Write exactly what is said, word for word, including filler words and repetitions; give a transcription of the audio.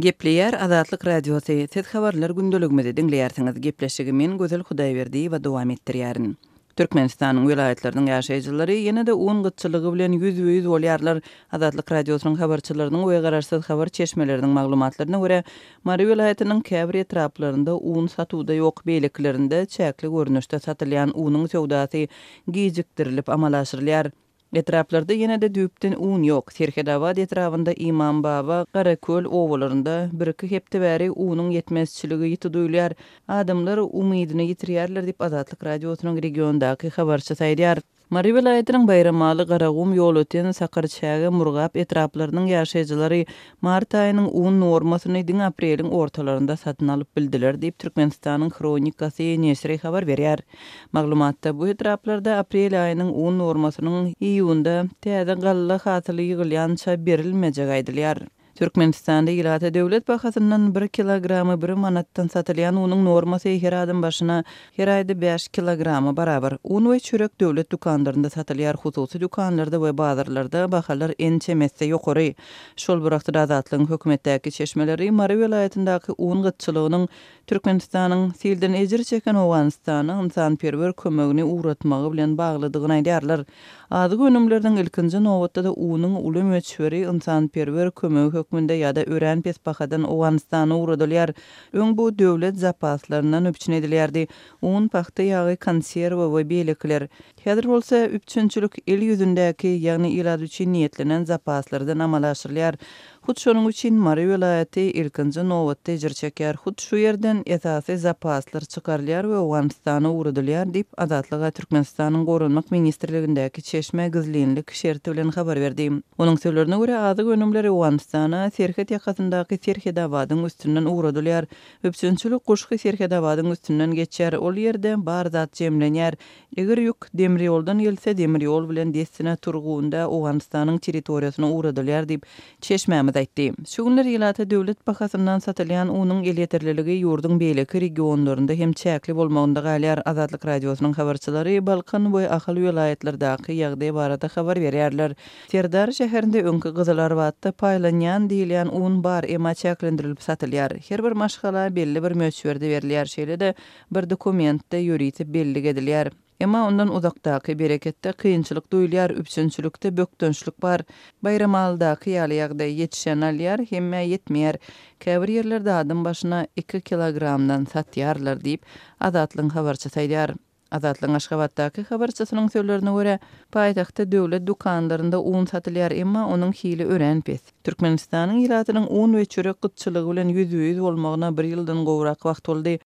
Gepleýär Azatlyk Radiosy, siz habarlar gündeligimizi diňleýärsiňiz. Gepleşigi men Gözel Hudaýberdiýewa dowam etdirýärin. Türkmenistanyň welaýatlarynyň ýaşaýjylary ýene-de un gytçylygy bilen ýüzbe-ýüz bolýarlar. Azatlyk Radiosynyň habarçylarynyň we garaşsyz habar çeşmeleriniň maglumatlaryna görä, Mary welaýatynyň käbir etraplarynda un satuwda ýok, beýlekilerinde çäkli görnüşde satylýan unuň söwdasy gijikdirilip amala aşyrylýar. Etraplarda ýene-de düýpden un ýok. Serhedabat etrabynda Imambaba, Garaköl obalarynda bir-iki hepde bäri unuň ýetmezçiligi ýiti duýulýar. Adamlar umydyny ýitirýärler diýip, Azatlyk Radiosynyň regiondaky habarçysy aýdýar. Mary welaýatynyň Baýramaly, Garagum, Ýolöten, Sakarçäge, Murgap etraplarynyň ýaşaýjylary mart aýynyň un normasyny diňe apreliň ortalarynda satyn alyp bildiler diýip, Türkmenistanyň Hronikasy neşiri habar berýär. Maglumatda bu etraplarda aprel aýynyň un normasynyň iýunda täze galla hasyly ýygylýança berilmejegi aýdylýar. Türkmenistanda ilata döwlet bahasyndan bir kilogramy bir manatdan satylýan unuň normasy her adam başyna her aýda bäş kilograma barabar. Un we çörek döwlet dükanlarynda satylýar, hususy dükanlarda we bazarlarda bahalar ençeme esse ýokary. Şol bir wagtda Azatlygyň hökümetdäki çeşmeleri Mary welaýatyndaky un gytçylygynyň Türkmenistanyň silden ejir çeken Owganystana ynsanperwer kömegini ugratmagy bilen baglydygyny aýdýarlar. Azyk önümleriniň, ilkinji nobatda-da unuň uly möçberi ynsanperwer kömegi hökmünde ýa-da örän pes bahadan Owganystana ugradylýar. Öň bu döwlet zapaslaryndan üpjün edilýärdi, un, pagta ýagy, konserwa we beýlekiler. Häzir bolsa üpjünçilik el ýüzündäki, ýagny ilat üçin niýetlenen zapaslardan amala aşyrylýar. Hut şonuň üçin Mary welaýaty ilkinji nobatda ejir çekýär. Hut şu ýerden esasy zapaslar çykarylýar we Owganystana ugradylýar diýip, Azatlyga Türkmenistanyň Goranmak ministrligindäki çeşme gizlinlik şerti bilen habar berdi. Onuň sözlerine görä, azyk önümleri Owganystana serhet ýakasyndaky Serhedabadyň üstünden ugradylýar. Üpjünçilik Guşgy Serhedabadyň üstünden geçýär, ol ýerde bar zat jemlenýär. Eger ýük demir ýoldan gelse, demir ýol bilen dessine Turgunda Owganystanyň territoriýasyna ugradylýar diýip, çeşmämiz aýtdy. Şu günler ilata döwlet bahasyndan satylýan unuň elýeterliligi ýurduň beýleki regionlarynda hem çäkli bolmagynda galýar. Azatlyk Radiosynyň habarçylary Balkan we Ahal welaýatlardaky ýagdaý barada habar berýärler. Serdar şäherinde öňki Gyzylarbatda paýlanýan diýilýän un bar, emma çäklendirilip satylýar. Her bir maşgala belli bir möçberde berilýär, şeýle-de bir dokumentde ýörite bellik edilýär. Emma ondan uzakdaky Bereketde kynçylyk duýulýar, üpjünçilikde bökdençlik bar. Baýramalydaky ýaly ýagdaý, ýetişen alýar, hemmä ýetmeýär. Käbir ýerlerde adam başyna iki kilogramdan satýarlar diýip, Azatlygyň habarçysy aýdýar. Azatlygyň Aşgabatdaky habarçysynyň sözlerine görä, paýtagtda döwlet dükanlarynda un satylýar, emma onuň hili örän pes. Türkmenistanyň ilatynyň un we çörek gytçylygy bilen ýüzbe-ýüz bolmagyna bir ýyldan gowrak wagt boldy.